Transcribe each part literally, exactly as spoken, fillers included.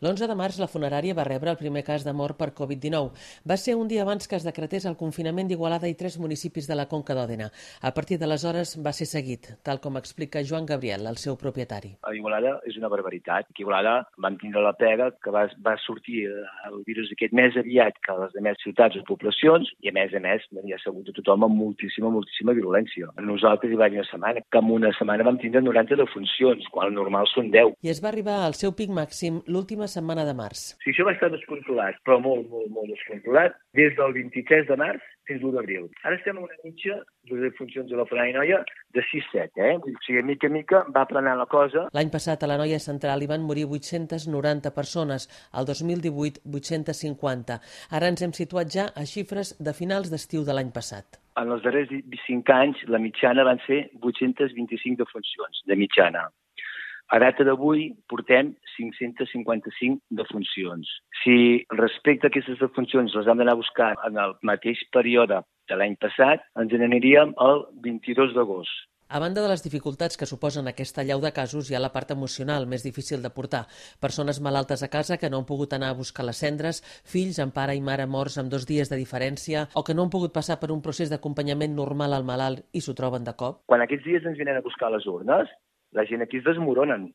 L'onze de març, la funerària va rebre el primer cas de mort per Covid dinou. Va ser un dia abans que es decretés el confinament d'Igualada i tres municipis de la Conca d'Òdena. A partir d'aleshores va ser seguit, tal com explica Joan Gabriel, el seu propietari. A Igualada és una barbaritat. A Igualada vam tindre la pega que va, va sortir el virus aquest més aviat que a les demés ciutats o poblacions i, a més a més, n'hi ha segut a tothom amb moltíssima, moltíssima virulència. Nosaltres hi va haver una setmana, que en una setmana vam tindre noranta defuncions, quan el normal són deu. I es va arribar al seu pic màxim l'última setmana de març. Sí, això va estar descontrolat, però molt, molt, molt descontrolat, des del vint-i-tres de març fins l'u d'abril. Ara estem en una mitja de defuncions de la funerària Noia de sis set, eh? O sigui, mica a mica va aplanant la cosa. L'any passat a la Noia Central hi van morir vuit-centes noranta persones, el dos mil divuit vuit-centes cinquanta. Ara ens hem situat ja a xifres de finals d'estiu de l'any passat. En els darrers cinc anys, la mitjana van ser vuit-centes vint-i-cinc defuncions, de mitjana. A data d'avui portem cinc-centes cinquanta-cinc defuncions. Si respecte a aquestes defuncions les hem d'anar a buscar en el mateix període de l'any passat, ens n'aniríem el vint-i-dos d'agost. A banda de les dificultats que suposen aquesta allau de casos, hi ha la part emocional més difícil de portar. Persones malaltes a casa que no han pogut anar a buscar les cendres, fills amb pare i mare morts amb dos dies de diferència o que no han pogut passar per un procés d'acompanyament normal al malalt i s'ho troben de cop. Quan aquests dies ens venen a buscar les urnes, la gent aquí es desmoronen.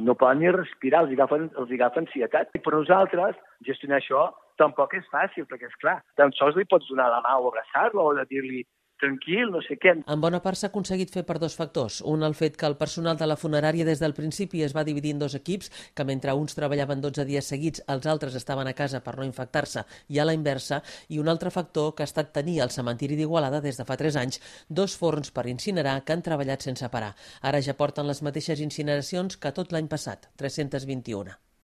No poden ni respirar, els agafen, els agafen ansietat. I per nosaltres, gestionar això tampoc és fàcil, perquè, és clar, tan sols li pots donar la mà o abraçar-lo o de dir-li tranquil, no sé què. En bona part s'ha aconseguit fer per dos factors. Un, el fet que el personal de la funerària des del principi es va dividir en dos equips, que mentre uns treballaven dotze dies seguits, els altres estaven a casa per no infectar-se, i a la inversa, i un altre factor que ha estat tenir al cementiri d'Igualada des de fa tres anys dos forns per incinerar que han treballat sense parar. Ara ja porten les mateixes incineracions que tot l'any passat, tres-centes vint-i-una.